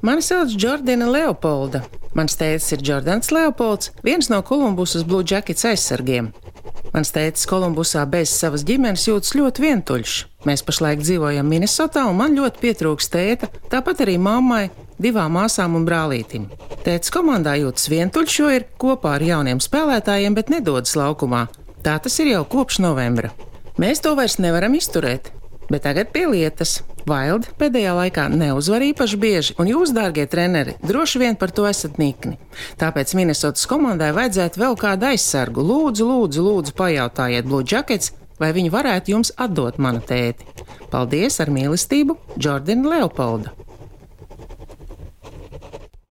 Mani sauc Jordana Leopolda. Mans tētis ir Jordans Leopolds, viens no Kolumbusas Blue Jackets aizsargiem. Mans tētis Kolumbusā bez savas ģimenes jūtas ļoti vientuļš. Mēs pašlaik dzīvojam Minnesotā, un man ļoti pietrūks tēta, tāpat arī mammai, 2 māsām un brālītim. Tētis komandā jūtas vientuļš, jo ir kopā ar jauniem spēlētājiem, bet nedodas laukumā. Tā tas ir jau kopš novembra. Mēs to vairs nevaram izturēt. Bet tagad pie lietas. Wild pēdējā laikā neuzvar īpaši bieži, un jūs, dārgie treneri, droši vien par to esat nikni. Tāpēc Minnesotas komandai vajadzētu vēl kādu aizsargu. Lūdzu, pajautājiet Blue Jackets, vai viņi varētu jums atdot manu tēti. Paldies, ar mīlestību, Jordana Leopolda.